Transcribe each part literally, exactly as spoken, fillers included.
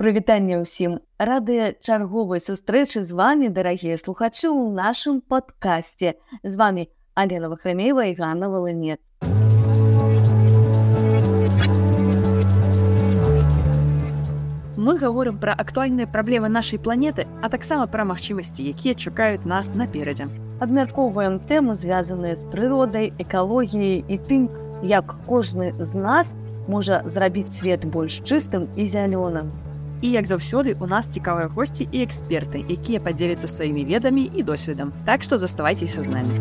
Прывітанне ўсім. Рады чарговай сустрэчы з вами, дарагія слухачы, ў нашым падкасце. З вами Алена Вахрамеева і Ганна Волынец. Мы гаворым пра актуальныя праблемы нашай планеты, а таксама пра магчымасці, якія чакаюць нас наперадзе. Абмяркоўваем тэмы, звязаныя з прыродай, экалогіяй і тым, як кожны з нас можа зрабіць свет больш чыстым і зялёным. І, як заўсёды, у нас цікавыя госці і эксперты, якія падзеляцца сваімі ведамі і досведам. Так што заставайцеся з намі.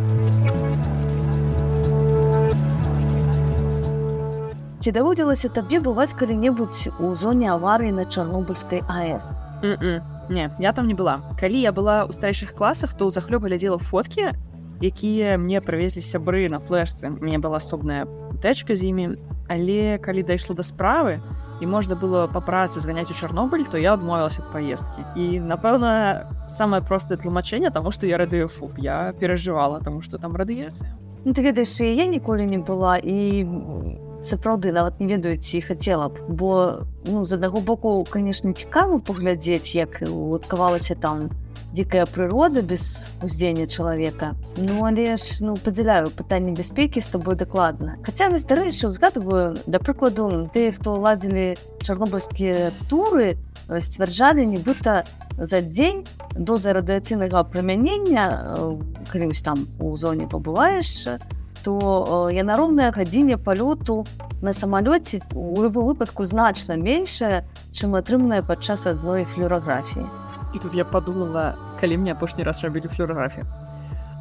Ці даводзілася табе бываць калі-небудзь у зоне аварыі на Чарнобыльскай АЭС? Mm-mm. Не, я там не была. Калі я была ў старэйшых класах, то ўзахлёб глядзела фоткі, якія мне прывезлі сябры на флешцы. У мяне была асобная тэчка з імі, але калі дайшло да справы, і можна было па працы зганяць у Чарнобыль, то я адмовілася ад паездкі. І, напэўна, самае простае тлумачэнне, таму што я радыёфоб. Я перажывала, таму што там радыяцыя. Ну, ты ведаеш, і я ніколі не была, і сапраўды нават не ведаю, ці хацела б. Бо, ну, з аднаго боку, канешне, цікава паглядзець, як адкавалася там дзікая прырода без уздзеяння чалавека. Ну, але ж, ну, падзяляю пытанне бяспекі з табой дакладна. Хаця, вось, дарэчы, узгадываю, да прыкладу, тыя, хто ладзілі чарнобыльскія туры, сцвярджалі, нібыта за дзень доза радыяцыйнага прымянення, калі вось там у зоне пабываеш, то яна роўная гадзіне палёту на самалёце у любым выпадку значна меншая, чым атрыманая падчас адной флюараграфіі. І тут я подумала, калі мне апошні раз рабілі флюараграфію.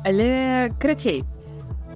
Але, карацей,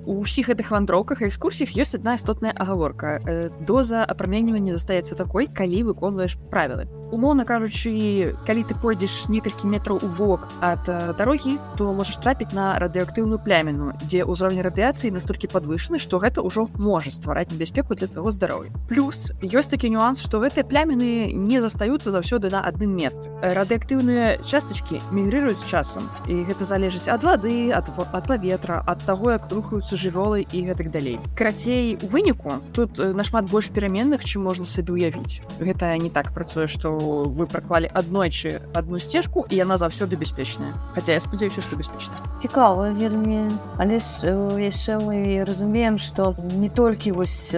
у ўсіх гэтых вандроўках і экскурсіях ёсць адна істотная агаворка. Доза апраменьвання застаецца такой, калі выконваеш правілы. Умоўна кажучы, калі ты пойдзеш некалькі метраў у бок ад дарогі, то можаш трапіць на радыеактыўную пляміну, дзе ўзровень радыяцыі настолькі падвышаны, што гэта ўжо можа ствараць небяспеку для твайго здароўя. Плюс ёсць такі нюанс, што гэтыя пляміны не застаюцца заўсёды на адным месцы. Радыеактыўныя частачкі мігрыруюць з часам, і гэта залежыць ад вады, ад, ад паветра, ад таго, як рухаюцца жывёлы і гэтак далей. Карацей, у выніку тут нашмат больш пераменных, чым можна сабе ўявіць. Гэта не так працуе, што вы праклалі аднойчы адну сцежку, і яна заўсёды бяспечная. Хаця я спадзяюся, што бяспечная. Цікава вельмі, але ж яшчэ мы разумеем, што не толькі вось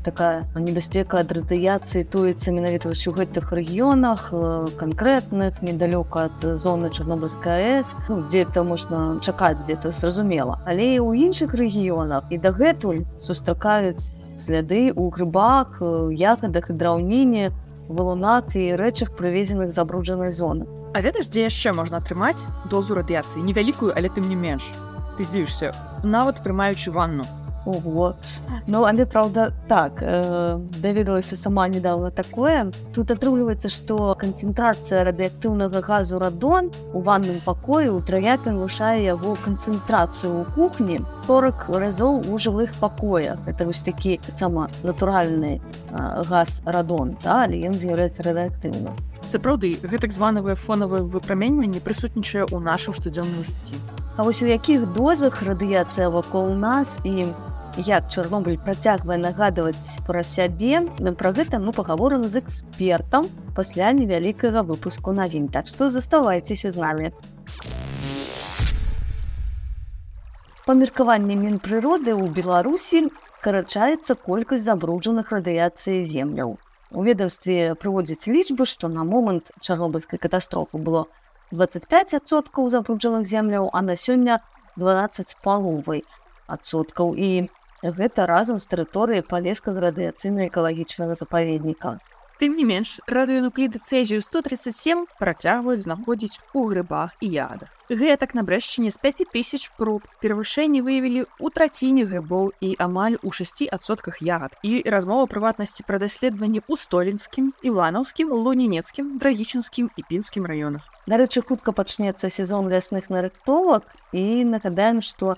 такая небяспека ад радыяцыі тоіцца менавіта вось у гэтых рэгіёнах канкрэтных, недалёка ад зоны Чарнобыльскай АЭС, ну, дзе-то можна чакаць, дзе-то зразумела. Але і ў іншых рэгіёнах і дагэтуль сустракаюць сляды ў грыбах, ягадах і драўніне, валунах і рэчах, прывезеных з забруджанай зоны. А ведаеш, дзе яшчэ можна атрымаць дозу радыяцыі? Невялікую, але тым не менш. Ты здзівішся, нават прымаючы ванну. Ого. Ну, але, правда, так, э, даведалася сама недавно такое. Тут атрымліваецца, што канцэнтрацыя радыеактыўнага газу радон у ванным пакоі ўтрая перавышае яго канцэнтрацыю ў кухні сорок разоў у жылых пакоях. Это вось такі сама натуральны э, газ радон, да, але ён з'яўляецца радыеактыўным. Сапраўды, гэтак званае фонавае выпраменьванне прысутнічае ў нашым штодзённым жыцці. А вось у якіх дозах радыяцыя вакол нас і як Чарнобыль працягвае нагадваць пра сябе, пра гэта мы пагаворым з экспертам пасля невялікага выпуску навін. Так што заставайцеся з намі. Па меркаванні Мінпрыроды ў Беларусі скарачаецца колькасць забруджаных радыяцыяй земляў. У ведамстве прыводзяць лічбы, што на момант Чарнобыльскай катастрофы было дваццаць пяць адсоткаў забруджаных земляў, а на сёння дванаццаць з паловай адсоткаў. І гэта разам з тэрыторыяй палескага радыяцыйна-экалагічнага запаведніка. Тым не менш, радыенукліды цэзію сто тридцать семь працягваюць знаходзіць у грыбах і ягадах. Гэтак на Брэшчыне з пяць тысяч проб перавышэнні выявілі ў траціне грыбоў і амаль у шасці адсотках ягад. І размова прыватнасці пра даследаванні ў Столінскім, Іванаўскім, Лунінецкім, Драгічынскім і Пінскім раёнах. Дарэчы, хутка пачнецца сезон лясных нарыхтовак, і нагадаем, што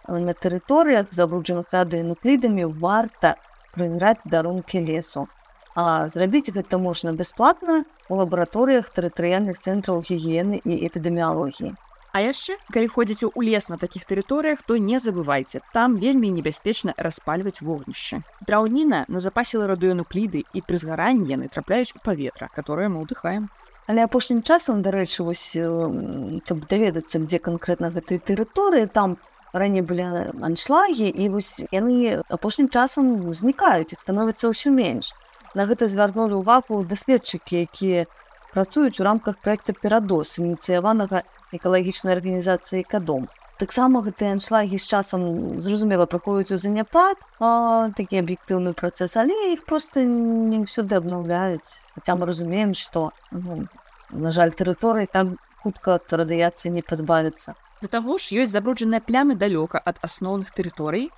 на тэрыторыях, забруджаных радыенуклідамі, варта правяраць дарункі лесу. А зрабіць гэта можна бясплатна ў лабараторыях тэрытарыяльных цэнтраў гігіены і эпідэміялогіі. А яшчэ, калі ходзіце ў лес на такіх тэрыторыях, то не забывайце, там вельмі небяспечна распальваць вогнішчы. Драўніна назапасіла радыёнукліды, і пры згаранні яны трапляюць у паветра, которое мы ўдыхаем. Але апошнім часам, дарэчы, вось, каб даведацца, дзе канкрэтна гэтыя тэрыторыі, там раней былі аншлагі, і вось яны апошнім часам знікаюць, іх становіцца ўсё менш. На гэта звярнулі ўвагу даследчыкі, якія працуюць у рамках праекта «Перадос», ініцыяванага экалагічнай арганізацыяй «Экадом». Таксама гэтыя аншлагі з часам, зразумела, праходзяць у заняпад, а, такі аб'ектыўны працэс, але іх проста не ўсюды абнаўляюць. Хаця мы разумеем, што, ну, на жаль, тэрыторыі там хутка ад радыяцыі не пазбавіцца. Да таго ж ёсць забруджаныя плямы далёка ад асноўных тэрыторый,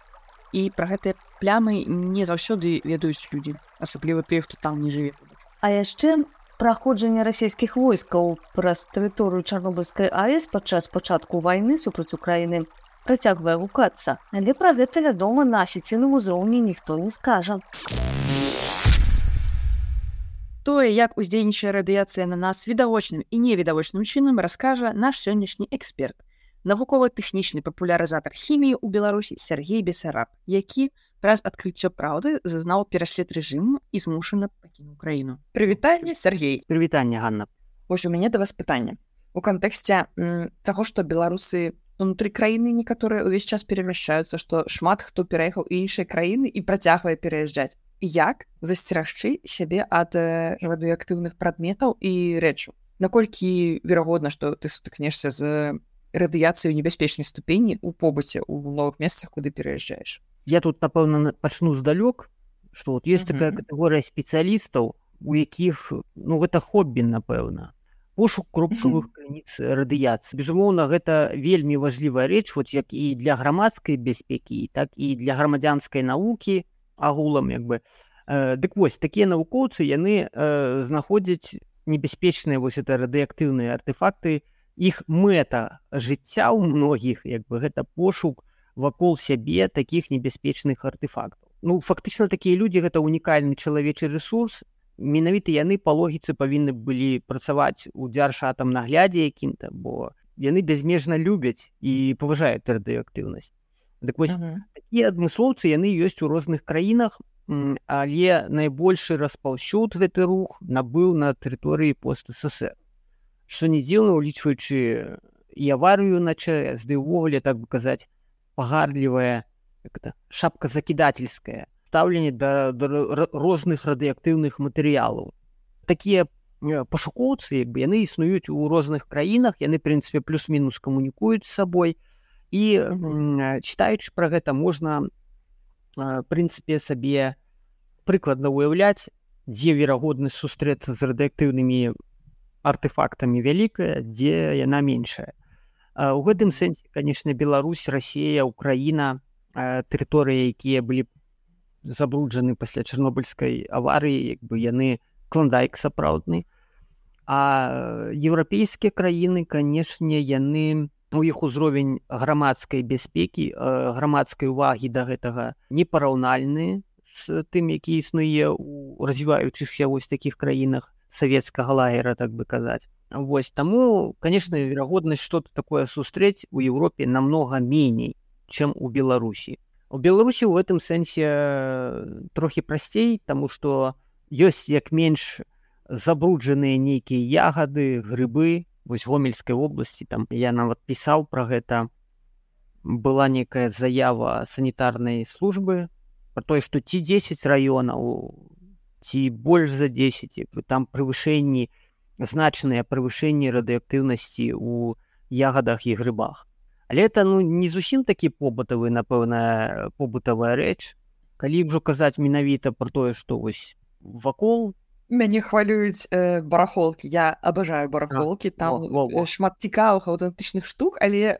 і пра гэтыя плямы не заўсёды ведаюць людзі, асабліва тыя, хто там не жыве. А яшчэ праходжанне расійскіх войскаў праз тэрыторыю Чарнобыльскай АЭС падчас пачатку вайны супраць Украіны працягвае гукацца. Але пра гэта, вядома, на афіцыйным узроўні ніхто не скажа. Тое, як уздзейнічае радыяцыя на нас відавочным і невідавочным чынам, раскажа наш сённяшні эксперт, навукова-тэхнічны папулярызатар хіміі ў Беларусі Сергей Бесараб, які праз адкрыццё праўды зазнаў пераслед рэжыму і змушана пакінуў краіну. Прывітанне, Сергей. Прывітанне, Ганна. Вось у мяне да вас пытанне. У кантэксце м, таго, што беларусы унутры краіны некаторыя ўвесь час перамяшчаюцца, што шмат хто пераехаў у іншыя краіны і працягвае пераязджаць. Як засцерагчы сябе ад э, радыеактыўных прадметаў і рэчаў? Наколькі верагодна, што ты сутыкнешся з радыяцыяй у небяспечнай ступені ў побыце ў новых месцах, куды пераязджаеш? Я тут, напэўна, пачну здалёк, што вот есть uh-huh. такая катэгорыя спецыялістаў, у якіх, ну, гэта хоббі, напэўна. Пошук кропкавых uh-huh. крыніц радыяцыі. Безумоўна, гэта вельмі важлівая рэч, вот як і для грамадскай бяспекі, так і для грамадзянскай навукі агулам, як бы. Э, дык вось, такія навукоўцы, яны э, знаходзяць небяспечныя вось это радыеактыўныя артефакты. Іх мэта жыцця ў многіх, як бы, гэта пошук вакол сябе такіх небяспечных артефактаў. Ну, фактычна, такія людзі — гэта унікальны чалавечы рэсурс. Менавіта яны па логіцы павінны былі працаваць у дзяржатамнаглядзе якім-то, бо яны бязмежна любяць і паважаюць радыеактыўнасць. Дык вось, uh-huh. такія адмыслоўцы, яны ёсць у розных краінах, але найбольшы распаўсюд гэты рух набыў на тэрыторыі пост-СССР. Што не дзіўна, улічваючы і аварыю на ЧАЭС, ды ўвогуле, так бы казаць, пагардлівая шапказакідательскае стаўленне да, да розных радыеактыўных матэрыялаў. Такія пашукоўцы, як бы, яны існуюць у розных краінах, яны, в прынцыпе, плюс-мінус камунікуюць з сабой, і mm-hmm. чытаючы пра гэта, можна, в прынцыпе, сабе прыкладна ўяўляць, дзе верагоднасць сустрэцца з радыеактыўнымі артефактамі вялікая, дзе яна меншая. У гэтым сэнсе, канешне, Беларусь, Расія, Украіна, тэрыторыі, якія былі забруджаны пасля Чарнобыльскай аварыі, як бы яны клондайк сапраўдны. А еўрапейскія краіны, канешне, яны, у іх узровень грамадскай бяспекі, грамадскай увагі да гэтага непараўнальны з тым, які існуе ў развіваючыхся вось такіх краінах савецкага лагера, так бы казаць. Вось, таму, конечно, верагоднасць што-то такое сустрэць у Еўропе намнога меней, чым у Беларусі. У Беларусі ў гэтым сэнсе трохі прасцей, таму што ёсць як менш забруджаныя нейкія ягады, грыбы. Вось Гомельскай вобласці, там я нават пісаў пра гэта. Была некая заява санітарнай службы пра тое, што ці дзесяць раёнаў, ці больш за дзесяць, там превышэнні, значныя превышэнні радыеактыўнасці ў ягадах і грыбах. Але это, ну, не зусім такі побытавы, напэўна, побытавая рэч. Калі ўжо казаць менавіта пра тое, што вось вакол. Мяне хвалююць э, барахолкі. Я абажаю барахолкі, там во, во, во. шмат цікавых аўтэнтычных штук, але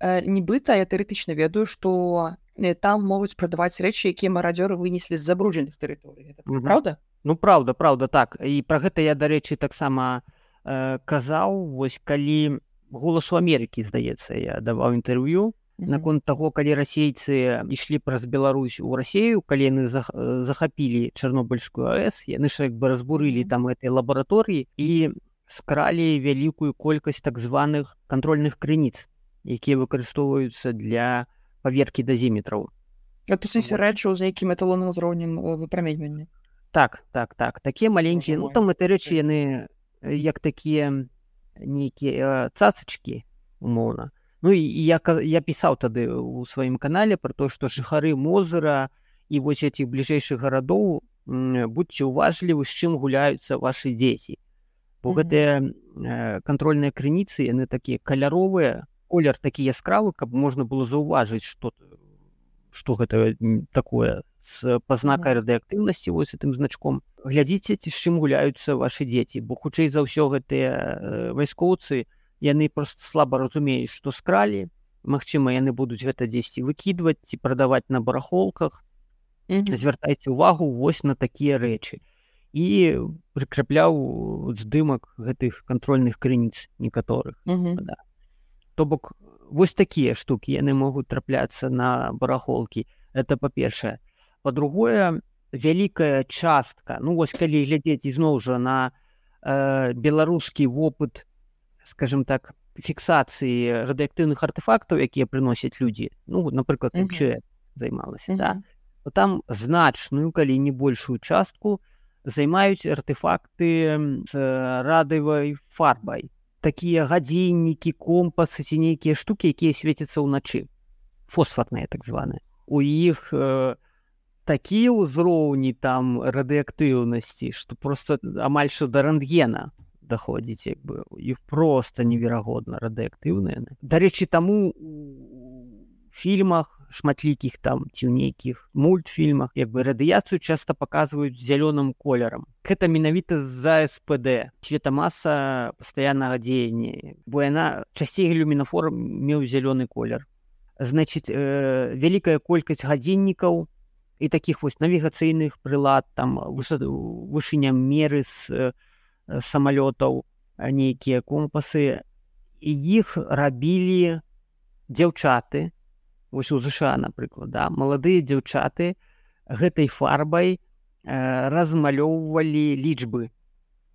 э, нібыта я тэарэтычна ведаю, што там могуць прадаваць рэчы, якія марадзёры вынеслі з забруджаных тэрыторый. Гэта mm-hmm. Праўда? Ну, праўда, праўда, так. І пра гэта я, дарэчы, таксама э, казаў, вось калі «Голасу Амерыкі», здаецца, я даваў інтэрв'ю mm-hmm. наконт таго, калі расейцы ішлі праз Беларусь у Расею, калі яны захапілі Чарнобыльскую АЭС, яны ж як бы разбурылі там гэтай лабараторыі, і скралі вялікую колькасць так званых кантрольных крыніц, якія выкарыстоўваюцца для паверкі дазіметраў. А тут сэнсе рэчаў, за якім эталонным узроўнем выпраменьвання. Так, так, так. Такія маленькія, ну там гэта рэчы, яны як такія нейкія цацачкі, умоўна. Ну і я, я пісаў тады ў сваім канале пра то, што жыхары Мозыра і вось этих бліжэйшых гарадоў, будьце уважлівы, з чым гуляюцца вашы дзеці. Бо mm-hmm. гэтыя э, кантрольныя крыніцы, яны такія каляровыя, колер такі яскравы, каб можна было заўважыць, што, што гэта такое з пазнакай mm-hmm. радыеактыўнасці, вось гэтым значком. Глядзіце, ці з чым гуляюцца вашы дзеці, бо хутчэй за ўсё гэтыя э, вайскоўцы, яны проста слаба разумеюць, што скралі. Магчыма, яны будуць гэта дзесьці выкідваць ці прадаваць на барахолках. Mm-hmm. Звяртайце ўвагу вось на такія рэчы. І прыкрапляў здымак гэтых кантрольных крыніц некаторых. Mm-hmm. Да. То бок, вось такія штукі, яны могуць трапляцца на барахолкі. Это па-першае. Па-другое, вялікая частка, ну вось калі глядзець ізноў жа на э, беларускі вопыт, скажем так, фіксацыі радыеактыўных артефактаў, якія прыносяць людзі, ну, напрыклад, эм чэ эс mm-hmm. займалася, mm-hmm. да, то там значную, калі не большую частку, займаюць артефакты з радыевай фарбай. Такія гадзіннікі, компасы ці нейкія штукі, якія свецяцца ўначы. Фосфатныя, так званыя. У іх э, такія ўзроўні там радыеактыўнасці, што проста амаль што да рэнтгена даходзіць, як бы. Іх проста неверагодна радыеактыўныя. Дарэчы, таму у фільмах шматлікіх там ці ў нейкіх мультфільмах, як бы радыяцыю часта паказваюць зялёным колерам. Гэта менавіта з-за эс пэ дэ, светамаса пастаяннага дзеяння, бо яна часцей люмінафор меў зялёны колер. Значыць, э, вялікая колькасць гадзіннікаў і такіх вось навігацыйных прылад, там вышыня меры з э, самалётаў, нейкія компасы, і іх рабілі дзяўчаты, вось у ЗША, напрыклад, да? Маладыя дзяўчаты гэтай фарбай э, размалёўвалі лічбы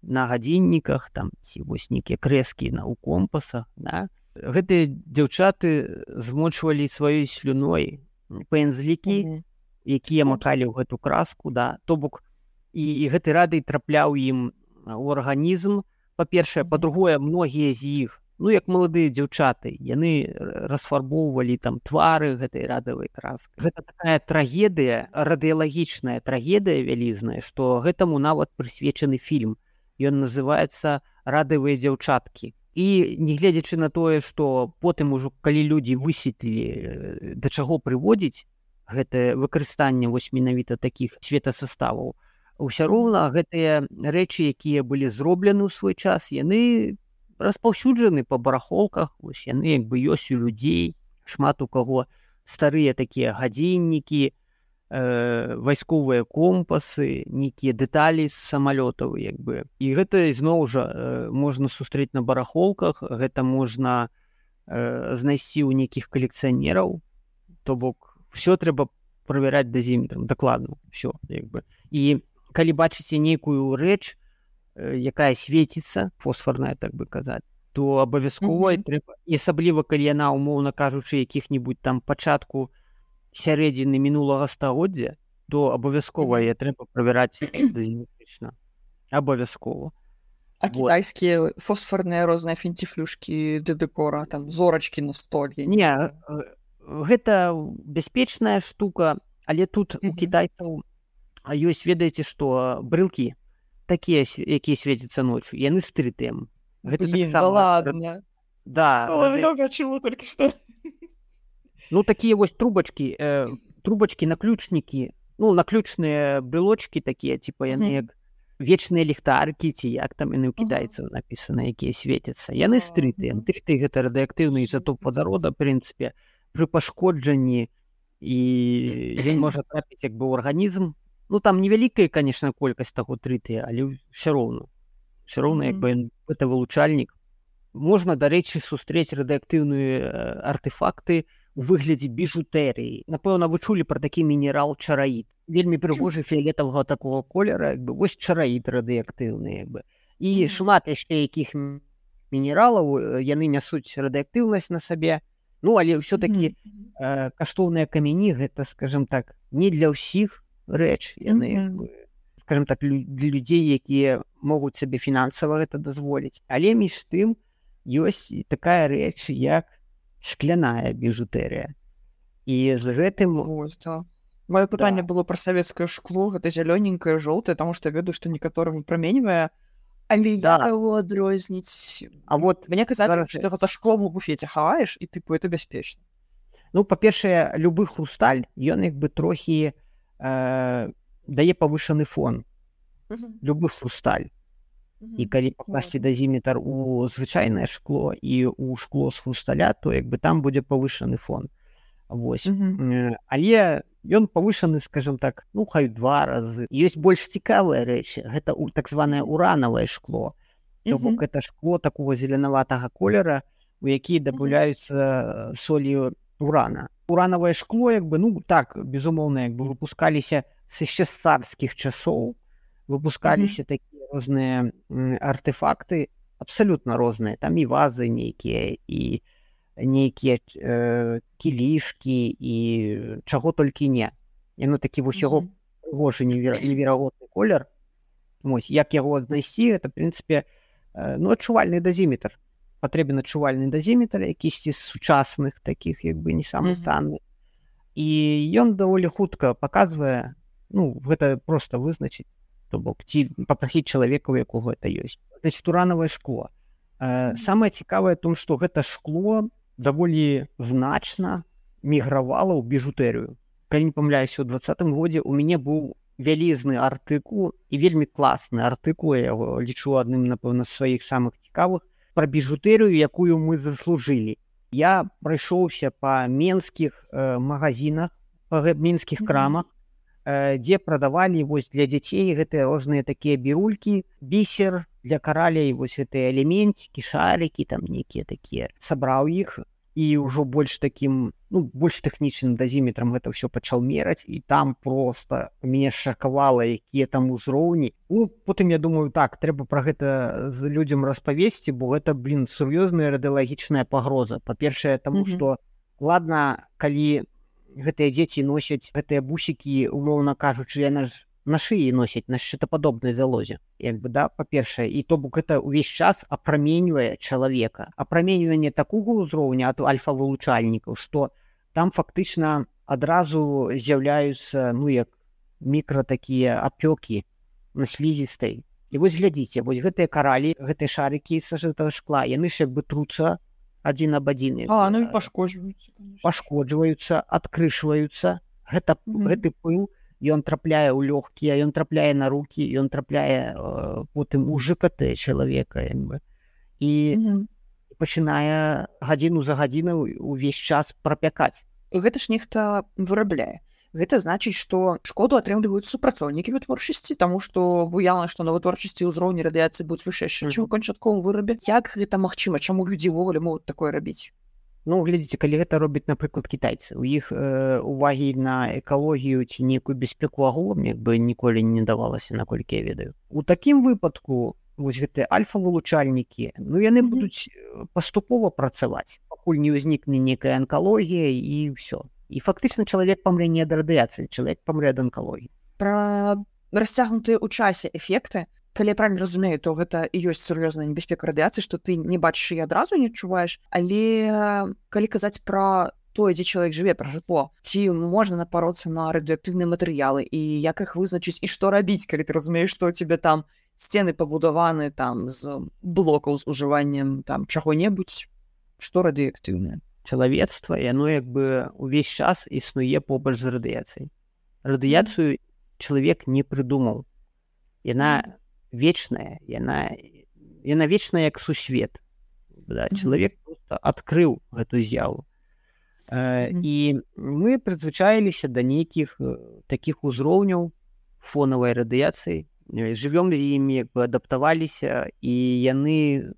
на гадзінніках, там, ці вось нейкія крэскі на, у компасах, да? Гэтыя дзяўчаты змочвалі сваёй слюной пензлікі, mm-hmm. якія макалі ў гэту краску, да? То бок, і, і гэты радый трапляў ім у арганізм, па-першае, mm-hmm. па-другое, многія з іх, ну, як маладыя дзяўчаты, яны расфарбоўвалі там твары гэтай радавай краскай. Гэта такая трагедыя, радыялагічная трагедыя вялізная, што гэтаму нават прысвечаны фільм. Ён называецца «Радавыя дзяўчаткі». І нягледзячы на тое, што потым ужо, калі людзі высветлілі, да чаго прыводзіць гэтае выкарыстанне вось менавіта такіх светасаставаў, усё роўна гэтыя рэчы, якія былі зроблены ў свой час, яны распаўсюджаны па барахолках, вось яны як бы ёсць у людзей, шмат у каго старыя такія гадзіннікі, э, вайсковыя компасы, нейкія дэталі з самалётаў, як бы. І гэта ізноў жа э, можна сустрэць на барахолках, гэта можна э, знайсці ў нейкіх калекцыянераў, то бок ўсё трэба правяраць дазіметрам, дакладна, ўсё, як бы. І калі бачыце нейкую рэч, якая свеціцца, фосфарная, так бы казаць, то абавязкова mm-hmm. трэба, і асабліва, калі яна, умоўна кажучы, якіх-небудзь там пачатку сярэдзіны мінулага стагоддзя, то абавязкова mm-hmm. я трэба правяраць дазіметрычна. Абавязкова. А вот. Кітайскія фосфарныя розныя фінціфлюшкі для дэкора, там зорачкі на столе? Не, гэта бяспечная штука, але тут mm-hmm. у кітайцаў ёсць, ведаеце, што брылкі, такія, якія свецяцца ночью, яны з тры-тэм. Блин, да ладно. Да. Что, я почему только что? Ну, такія вось трубачкі, э, трубачкі, наключнікі, ну, наключныя брелочкі такія, типа, яны як вечныя ліхтаркі, ці як там яны ў кітайцаў напісана, якія свецяцца. Яны з тры-тэм. тры-тэ гэта радыеактыўны ізатоп вадарода, в прынцыпе, пры пашкоджанні, і ён можа трапіць як бы ў арганізм. Ну, там невялікая, конечно, колькасць таго тры-тэ, але ўсё роўна. Ўсё роўна, як бы, гэта вылучальнік. Можна, дарэчы, сустрэць радыеактыўныя артефакты у выглядзе біжутэрыі. Напэўна, вы чулі пра такі мінерал чараід. Вельмі прыгожы фіялетавага такого колера, як бы, вось чараід радыеактыўны, як бы. і шмат яшчэ якіх мінералаў, яны нясуць радыактыўнасць на сабе. Ну, але ўсё-такі э, каштоўныя камяні, гэта, скажем так, не для ўсіх рэч. Яны, скажем так, лю- для людзей, якія могуць сабе фінансава гэта дазволіць. Але між тым ёсць такая рэч, як шкляная біжутэрыя. І з гэтым... Маё пытанне да. было пра савецкае шкло, гэта зялёненькае, жоўтае, таму што я ведаю, што некаторы выпраменьвае, але да. як яго адрозніць? А вот мне казалі, зараз... што гэта шклом у буфеце хаваеш, і тыпу это бяспечна. Ну, па-першае, любы хрусталь, ён як бы трохі э, дае павышаны фон. Uh-huh. Любы хрусталь. Uh-huh. І калі пакласці uh-huh. дазіметр у звычайнае шкло і у шкло з хрусталя, то як бы там будзе павышаны фон. Вось. Uh-huh. Але ён павышаны, скажем так, ну, хай два разы. Ёсць больш цікавыя рэчы. Гэта так званае уранавае шкло. То бок гэта шкло такого зеленаватага колера, у які дабаўляюцца солі урана. Уранавае шкло, як бы, ну, так, безумоўна, як бы выпускаліся з яшчэ з царскіх часоў. Выпускаліся mm-hmm. такія розныя артефакты, абсалютна розныя. Там і вазы нейкія, і нейкія э, кілішкі, і чаго толькі не. Яно такі вось яго прыгожы невер... неверагодны колер. Вось, як яго знайсці, гэта, в прынцыпе, э, ну, адчувальны дазіметр. Патрэбен адчувальны дазіметр, якісьці з сучасных такіх, як бы, не самых танных. І ён даволі хутка паказвае, ну, гэта проста вызначыць, то бок, ці папрасіць чалавека, у якога гэта ёсць. Значит, уранавае шкло. Э, самае цікавае том, што гэта шкло даволі значна мігравала ў біжутэрыю. Калі не памыляюся, у двадцатым годзе у мяне быў вялізны артыкул і вельмі класны артыкул, я яго лічу адным, напэўна, з сваіх самых цікавых, пра біжутэрыю, якую мы заслужылі. Я прайшоўся па менскіх э, магазинах, па менскіх крамах, э, дзе прадавалі вось для дзяцей гэтыя розныя такія бірулькі, бісер для каралей, вось гэтыя элементики, шарики, там нейкія такія. Сабраў іх і ўжо больш такім, ну, больш тэхнічным дазіметрам гэта ўсё пачаў мераць, і там проста мяне шакавала, якія там узроўні. Ну, потым я думаю, так, трэба пра гэта людзям распавесці, бо гэта, блин, сур'ёзная радыялагічная пагроза. Па-першае, таму што, mm-hmm. ладна, калі гэтыя дзеці носяць гэтыя бусікі, умоўна кажучы, яна ж на шыі носяць, на шчытападобнай залозе. Як бы, да, па-першае, і то бок гэта ўвесь час апраменьвае чалавека. Апраменьванне такога ўзроўня ад альфа-вылучальнікаў, што там фактычна адразу з'яўляюцца, ну, як мікра такія апёкі на слізістай. І вось глядзіце, вось гэтыя каралі, гэтыя шарыкі з гэтага шкла, яны ж як бы труцца адзін аб адзін. А, ну і пашкоджваюцца, конечно. Пашкоджваюцца, адкрышваюцца. Гэта, mm-hmm. гэты пыл, ён трапляе ў лёгкія, ён трапляе на рукі, ён трапляе э, потым у ЖКТ чалавека, як бы. І mm-hmm. пачынае гадзіну за гадзіну увесь час прапякаць. Гэта ж нехта вырабляе. Гэта значыць, што шкоду атрымліваюць супрацоўнікі вытворчасці, таму што выяўна, што на вытворчасці ўзроўні радыяцыі будуць вышэйшыя, чым у канчатковым вырабе. Як гэта магчыма? Чаму людзі ўвогуле могуць такое рабіць? Ну, глядзіце, калі гэта робяць, напрыклад, кітайцы, у іх э, увагі на экалогію ці нейкую бяспеку агулам, як бы ніколі не давалася, наколькі я ведаю. У такім выпадку, вось гэтыя альфа-вылучальнікі, ну, яны mm-hmm. будуць паступова працаваць, пакуль не ўзнікне нейкая анкалогія і ўсё. І фактычна чалавек памрэ не ад радыяцыі, чалавек памрэ ад анкалогіі. Пра расцягнутыя ў часе эфекты, калі я правильно разумею, то гэта і ёсць сур'ёзная небяспека радыяцыі, што ты не бачыш і адразу не адчуваеш, але калі казаць пра тое, дзе чалавек жыве, пра жытло, ці можна напароцца на радыеактыўныя матэрыялы і як іх вызначыць і што рабіць, калі ты разумееш, што у цябе там сцены пабудаваны там з блокаў з ужываннем там чаго-небудзь, што радыеактыўнае. Чалавецтва, яно як бы увесь час існуе побач з радыяцыяй. Радыяцыю чалавек не прыдумаў. Яна вечная, яна, яна вечная як сусвет. Да? Mm-hmm. Чалавек просто адкрыў гэту з'яву. Э, mm-hmm. І мы прызвычаіліся да нейкіх такіх узроўняў фонавай радыяцыі, жывём з імі, як бы адаптаваліся, і яны,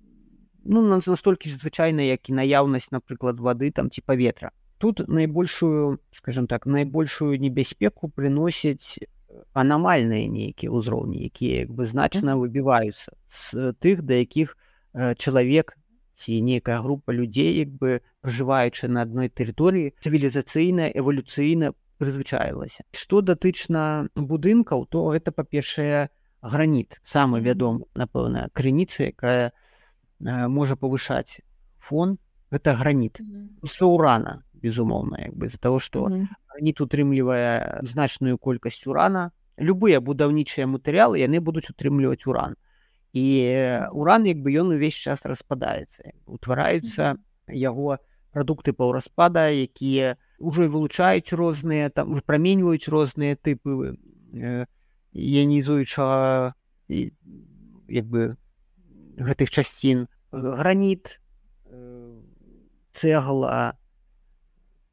ну, настолькі ж звычайна, як і наяўнасць, напрыклад, вады там ці паветра. Тут найбольшую, скажем так, найбольшую небяспеку прыносяць анамальныя нейкія ўзроўні, якія як бы значна выбіваюцца з тых, да якіх э, чалавек ці нейкая група людзей, як бы пражываючы на адной тэрыторыі, цывілізацыйна, эвалюцыйна прызвычаілася. Што датычна будынкаў, то гэта, па-першае, граніт, самы вядомы, напэўна, крыніца, якая э, можа павышаць фон, гэта граніт. З урана, безумоўна, як бы, з-за таго, што граніт утрымлівае значную колькасць урана. Любыя будаўнічыя матэрыялы, яны будуць утрымліваць уран. І уран, як бы, ён увесь час распадаецца. Утвараюцца яго прадукты паўраспада, якія ўжо вылучаюць розныя, там, выпраменьваюць розныя тыпы э, іанізуючага, як бы, гэтых часцін. Граніт, э, цэгла,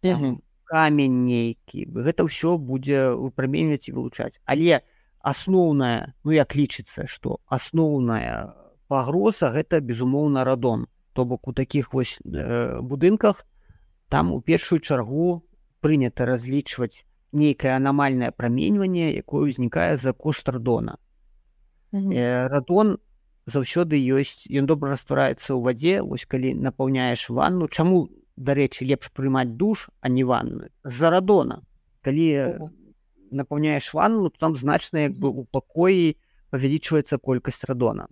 там, камень нейкі. Гэта ўсё будзе выпраменьваць і вылучаць. Але асноўная, ну як лічыцца, што асноўная пагроза гэта, безумоўна, радон. То бок у такіх вось э, будынках там у першую чаргу прынята разлічваць нейкае анамальнае праменьванне, якое ўзнікае за кошт радона. Mm-hmm. Э, радон заўсёды ёсць, ён добра раствараецца ў вадзе, вось калі напаўняеш ванну. Чаму, дарэчы, лепш прымаць душ, а не ванну? З-за радона. Калі mm-hmm. напаўняеш ванну, то там значна, як бы, у пакоі павялічваецца колькасць радона.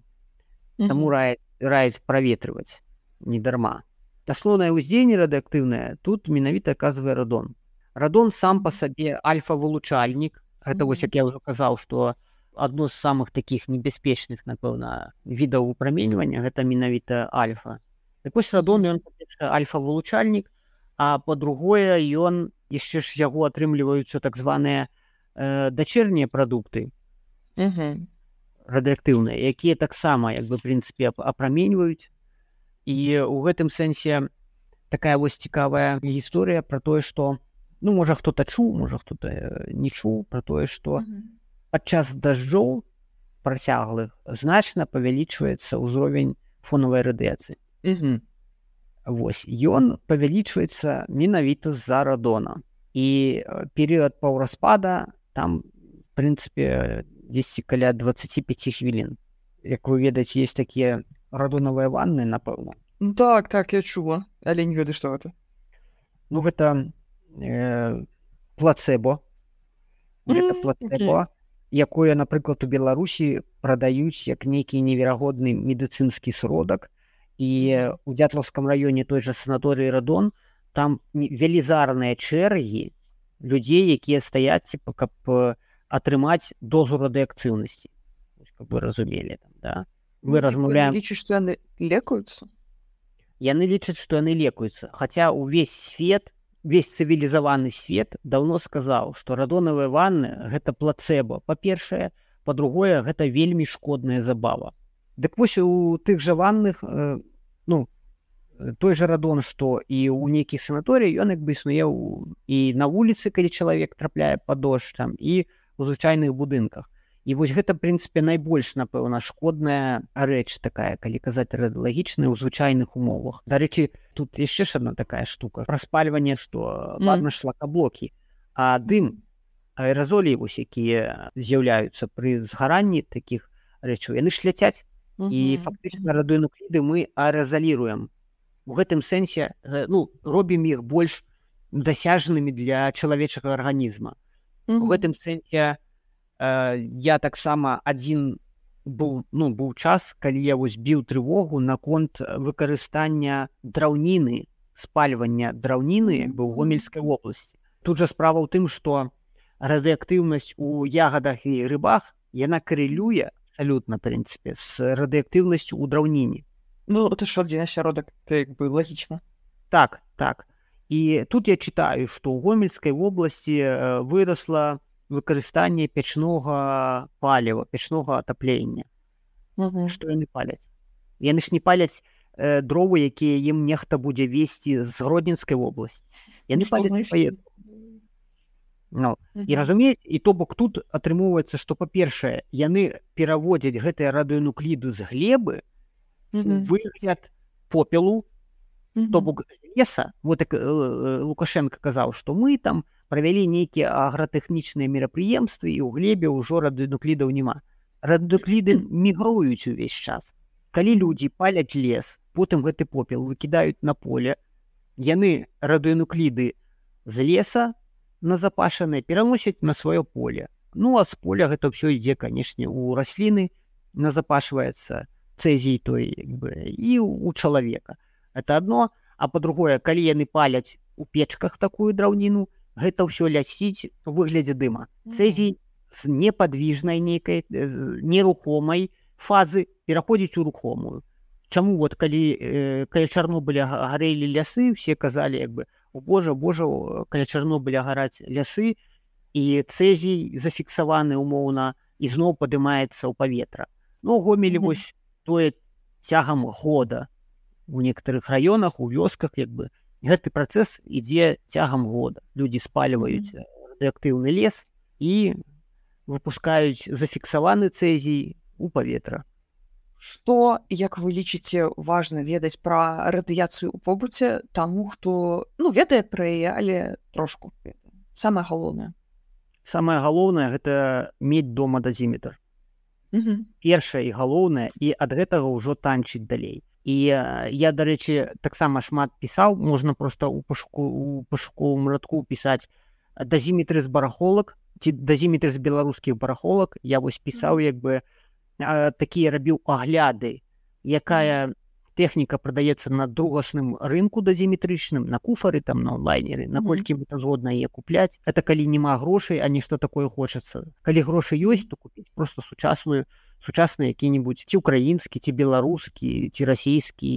Mm-hmm. Таму раяць, раяць праветрываць не дарма. Асноўнае ўздзеянне радыактыўнае тут менавіта аказвае радон. Радон сам па сабе альфа-вылучальнік. Гэта, mm-hmm. вось, як я ўжо казаў, што адно з самых такіх небяспечных, напэўна, відаў выпраменьвання гэта менавіта альфа. Так вось радон, ён, па-першае, альфа-вылучальнік, а па-другое, ён яшчэ ж яго атрымліваюцца так званыя э, дачэрнія прадукты mm-hmm. радыактыўныя, якія таксама, як бы, в прынцыпе, апраменьваюць. І ў гэтым сэнсе такая вось цікавая гісторыя пра тое, што, ну, можа, хто-то чуў, можа, хто-то не чуў, пра тое, што mm-hmm. падчас дажджоў працяглых значна павялічваецца ўзровень фонавай радыяцыі. Mm-hmm. Вось, ён павялічваецца менавіта з-за радона. І перыяд паўраспада там, в прынцыпе, дзесьці каля дваццаць пяць хвілін. Як вы ведаеце, ёсць такія радонавыя ванны, напэўна. Ну, так, так, я чула, але не ведаю, што гэта. Ну, гэта э, плацэбо. Гэта Mm, плацэбо, okay. якое, напрыклад, у Беларусі прадаюць як нейкі неверагодны медыцынскі сродак. І у Дзятлаўскім раёне той жа санаторыі радон, там велізарныя чэргі людзей, якія стаяць, типа, каб атрымаць дозу радыактыўнасці. Каб вы разумелі, там, да? Мы ну, размаўляем... Яны лічаць, што яны лекуюцца? Яны лічаць, што яны лекуюцца. Хаця ўвесь свет, весь цывілізаваны свет даўно сказаў, што радонавыя ванны – гэта плацэбо. Па-першае, па-другое, гэта вельмі шкодная забава. Дык вось у тых жа ванных, э, ну, той жа радон, што і ў нейкіх санаторыях, ён як бы існуе і на вуліцы, калі чалавек трапляе пад дождж, там, і ў звычайных будынках. І вось гэта, в прынцыпе, найбольш, напэўна, шкодная рэч такая, калі казаць радыялагічная ў звычайных умовах. Дарэчы, тут яшчэ ж адна такая штука. Праспальванне, што ладна ж шлакаблокі, а дым, аэразолі, вось, якія з'яўляюцца пры згаранні такіх рэчаў, яны ж ляцяць. Uh-huh. І фактычна радыенукліды мы аэразаліруем. У гэтым сэнсе, ну, робім іх больш дасяжнымі для чалавечага арганізма. Uh-huh. У гэтым сэнсе я таксама адзін быў, ну, быў час, калі я вось біў трывогу наконт выкарыстання драўніны, спальвання драўніны як бы ў Гомельскай вобласці. Тут жа справа ў тым, што радыактыўнасць у ягадах і рыбах, яна карэлюе абсалютна, в прынцыпе, з радыактыўнасцю ў драўніне. Ну, это ж адзін асяродак, это як бы лагічна. Так, так. І тут я чытаю, што ў Гомельскай вобласці вырасла выкарыстанне печнога паліва, печнога атаплення. Uh-huh. Што яны паляць? Яны ж не паляць э, дровы, якія ім нехта будзе весці з Гродненскай вобласці. Яны ну, паляць свае. Ну, uh-huh. І разумееце, і то бок тут атрымоўваецца, што, па-першае, яны пераводзяць гэтыя радыенукліды з глебы uh-huh. у выгляд попелу, uh-huh. то бок з леса. Вот так э, Лукашенко казаў, што мы там правялі нейкія агратэхнічныя мерапрыемствы, і ў глебе ўжо радыенуклідаў няма. Радыенукліды мігруюць увесь час. Калі людзі паляць лес, потым гэты попел выкідаюць на поле, яны радыенукліды з леса назапашаныя пераносяць на сваё поле. Ну, а з поля гэта ўсё ідзе, канешне, у расліны назапашваецца цэзій той, як бы, і у чалавека. Это адно. А па-другое, калі яны паляць у печках такую драўніну, гэта ўсё лясіць у выглядзе дыма. Цэзій з непадвіжнай нейкай, нерухомай фазы пераходзіць у рухомую. Чаму вот калі, э, каля Чарнобыля гарэлі лясы, все казалі, як бы, о боже, боже, каля Чарнобыля гараць лясы, і цэзій зафіксаваны умоўна і зноў падымаецца ў паветра. Ну, Гомелі, mm-hmm. вось тое цягам года у некаторых раёнах, у вёсках, як бы, гэты працэс ідзе цягам года. Людзі спальваюць mm-hmm. радыеактыўны лес і выпускаюць зафіксаваны цэзій у паветра. Што, як вы лічыце, важна ведаць пра радыяцыю ў побыце таму, хто, ну, ведае пра яе, але трошку ведае? Самае галоўнае. Самае галоўнае гэта мець дома дазіметр. Угу. Першае і галоўнае, і ад гэтага ўжо танчыць далей. І я, дарэчы, таксама шмат пісаў, можна проста ў пашуку, у пашуковым радку пісаць дазіметры з барахолак, ці дазіметры з беларускіх барахолак. Я вось пісаў, як бы, такія рабіў агляды, якая тэхніка прадаецца на другасным рынку дазіметрычным, на куфары, там, на онлайнеры, наколькі mm-hmm. мы згодна яе купляць. Это калі няма грошай, а нешта такое хочацца. Калі грошы ёсць, то купіць проста сучасную, сучасны які-небудзь ці украінскі, ці беларускі, ці расійскі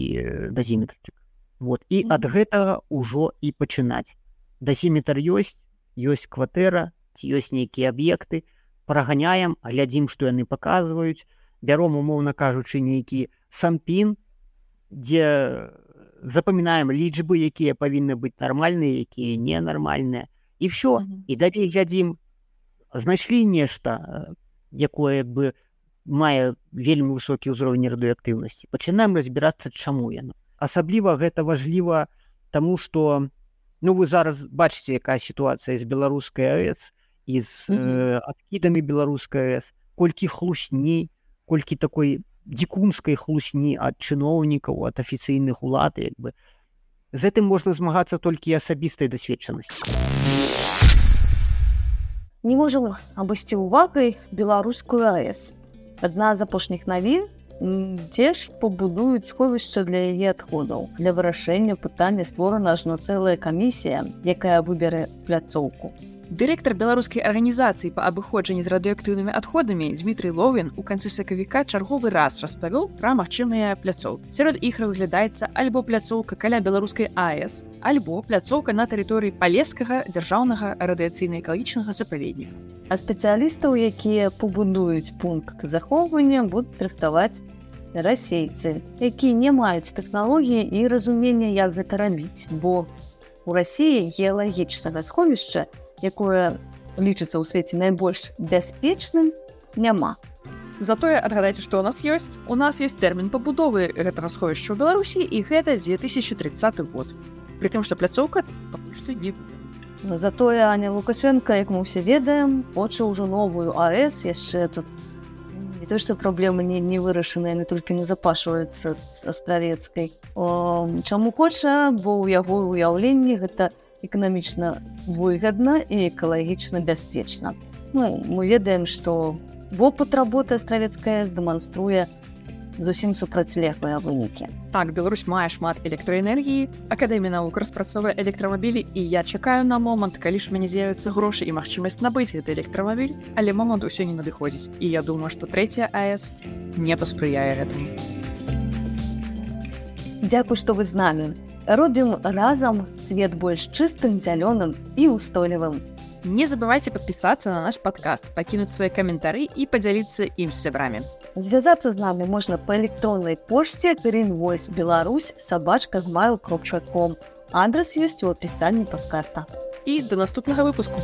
дазіметрчык. Вот. І mm-hmm. ад гэтага ўжо і пачынаць. Дазіметр ёсць, ёсць кватэра, ці ёсць нейкія аб'екты, праганяем, глядзім, што яны паказваюць, бяром, умоўна кажучы, нейкі санпін, дзе запамінаем лічбы, якія павінны быць нармальныя, якія ненармальныя, і ўсё. Mm-hmm. І далей глядзім, знайшлі нешта, якое бы мае вельмі высокі ўзровень радыеактыўнасці. Пачынаем разбірацца, чаму яно. Асабліва гэта важліва таму, што, ну, вы зараз бачыце, якая сітуацыя з беларускай АЭС і з mm-hmm. э, адкідамі беларускай АЭС, колькі хлусні, колькі такой дзікунскай хлусні ад чыноўнікаў, ад афіцыйных улад, як бы. З гэтым можна змагацца толькі асабістай дасведчанасці. Не можам абысці увагай беларускую АЭС. Адна з апошніх навін, дзе ж пабудуюць сховішча для яе адходаў. Для вырашэння пытання створана ажно цэлая камісія, якая выберэ пляцоўку. Дырэктар беларускай арганізацыі па абыходжанні з радыеактыўнымі адходамі Дмітрый Ловін у канцы сакавіка чарговы раз распавёў пра магчымыя пляцоўкі. Сярод іх разглядаецца альбо пляцоўка каля беларускай АЭС, альбо пляцоўка на тэрыторыі Палескага дзяржаўнага радыяцыйна-экалагічнага запаведніка. А спецыялістаў, якія пабудуюць пункт захоўвання, будуць рыхтаваць расейцы, якія не маюць тэхналогіі і разумення, як гэта рабіць, бо у Расіі геалагічнага сховішча, якое лічыцца ў свеце найбольш бяспечным, няма. Затое адгадайце, што ў нас ёсць. У нас ёсць тэрмін пабудовы гэтага сховішча ў Беларусі, і гэта дзве тысячы трыццаты год. Пры тым, што пляцоўка пакуль што не будзе. Затое Аня Лукашенко, як мы ўсе ведаем, хоча ўжо новую АЭС, яшчэ тут не то, што праблема не, не вырашана, яны толькі назапашваюцца з астравецкай. О, чаму хоча, бо ў яго ўяўленні гэта эканамічна выгадна і экалагічна бяспечна. Ну, мы ведаем, што вопыт работы астравецкая дэманструе зусім супрацьлеглыя вынікі. Так, Беларусь мае шмат электраэнергіі, Акадэмія навук распрацоўвае электрамабілі, і я чакаю на момант, калі ж мяне з'явяцца грошы і магчымасць набыць гэты электрамабіль, але момант усё не надыходзіць. І я думаю, што трэцяя АЭС не паспрыяе гэтаму. Дзякуй, што вы з намі. Робім разам свет больш чыстым, зялёным і ўстойлівым. Не забывайце падпісацца на наш падкаст, пакінуць свае каментары і падзяліцца ім з сябрамі. Звязацца з намі можна па электроннай пошце greenvoice беларусь сабачка гмайл кропка ком. Адрес ёсць у апісанні падкаста. І да наступнага выпуску.